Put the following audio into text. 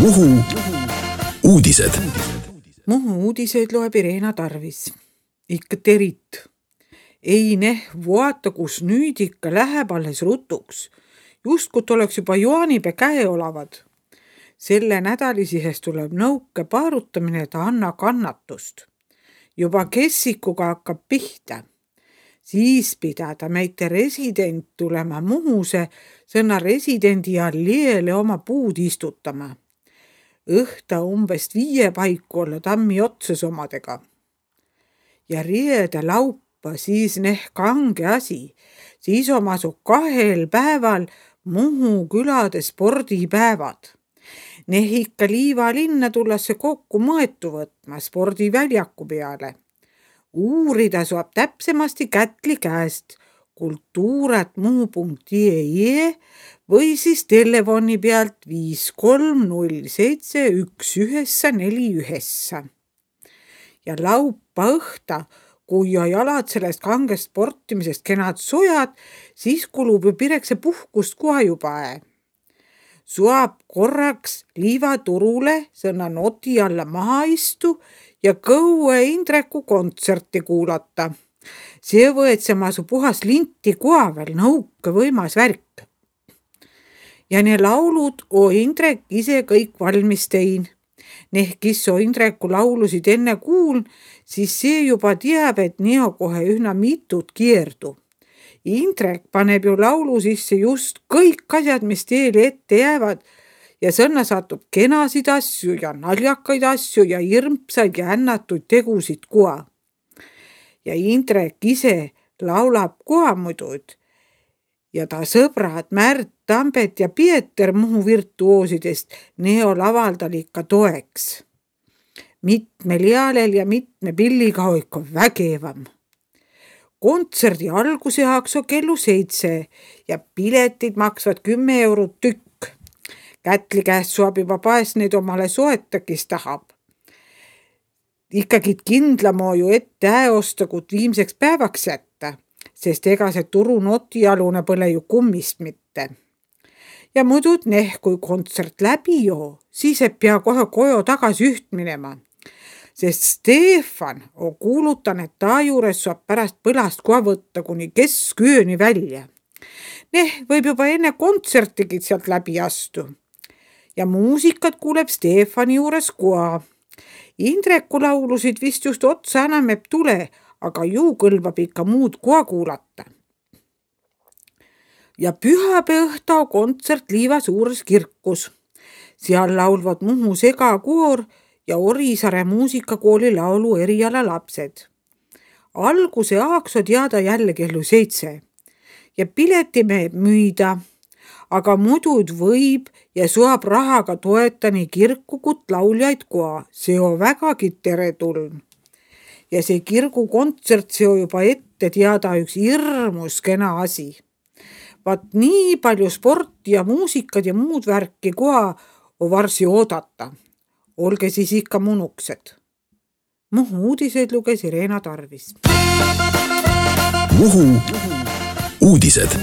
Muhu uudised. Muhu uudiseid loeb Irena Tarvis. Ikka terit. Ei vaata, kus nüüd ikka läheb alles rutuks. Justkut oleks juba juanipe käe olavad. Selle nädalisihes tuleb nõuke paarutamine, et anna kannatust. Juba kessikuga hakkab pihta. Siis pidada meite resident tulema Muhuse sõna residendi alleele oma puud istutama. Õhta umbes 5 paiku olla tammi otsas omadega. Ja riede laupa siis kange asi. Siis omasu 2 päeval Muhu külade spordipäevad. Ikka Liiva linna tullasse kokku mõetu võtma spordiväljaku peale. Uurida saab täpsemasti Kätli käest kultuuratmuhu.ee või siis telefoni pealt 53071941. Ja laupa õhta, kui jalad sellest kangest sportimisest kenad sojad, siis kulub ju pirekse puhkust koha juba. Suab korraks Liiva turule sõna noti alla maha istu ja kõue Indreku kontserti kuulata. See võetsema su puhas linti koha veel nõuke võimas värk. Ja ne laulud Indrek ise kõik valmis tein. Kes Indreku laulusid enne kuuln, siis see juba teab, et neo kohe ühna mitut kierdu. Indrek paneb ju laulu sisse just kõik asjad, mis teile ette jäävad ja sõnna satub kenasid asju ja naljakaid asju ja hirmsaid ja ännatuid tegusid koha. Ja Indrek ise laulab koha muidud ja ta sõbrad Märt, Tambet ja Pieter Muhu virtuoosidest neo lavaldal ikka toeks. Mitmel jaalel ja mitme pilliga hoiko vägevam. Kontserdi alguse hakso kellu 7 ja piletid maksvad 10 eurot tükk. Kätli käest saab juba paes neid omale soeta, kes tahab. Ikkagi kindlamoo ju ette osta, kui viimseks päevaks jätta, sest ega see turu notialune põle ju kummist mitte. Ja muidud kui kontsert läbi joo, siis et pea kohe koju tagasi üht minema. Sest Stefan on kuulutan, et ta juures saab pärast põlast koha võtta kuni keskööni välja. Võib juba enne kontsertigid sealt läbi astu. Ja muusikat kuuleb Stefani juures koha. Indreku laulusid vist just otsa enam ei tule, aga ju kõlbab ikka muud koha kuulata. Ja pühapäeva õhta kontsert Liiva suures kirkus. Seal laulvad Muhu segakoor ja Orisaare muusikakooli laulu eriala lapsed. Alguse aakso teada jälle kellu 7 ja pileti meeb müüda, aga muidud võib ja saab rahaga toeta nii kirkukut lauljaid koha. See on vägagi teretuln. Ja see kirgu kontsert see on juba ette teada üks hirmus kena asi. Vaat nii palju sporti ja muusikad ja muud värki koha on varsi oodata. Olge siis ikka munuksed. Muhu uudiseid luges Irena Tarvis. Muhu uudised.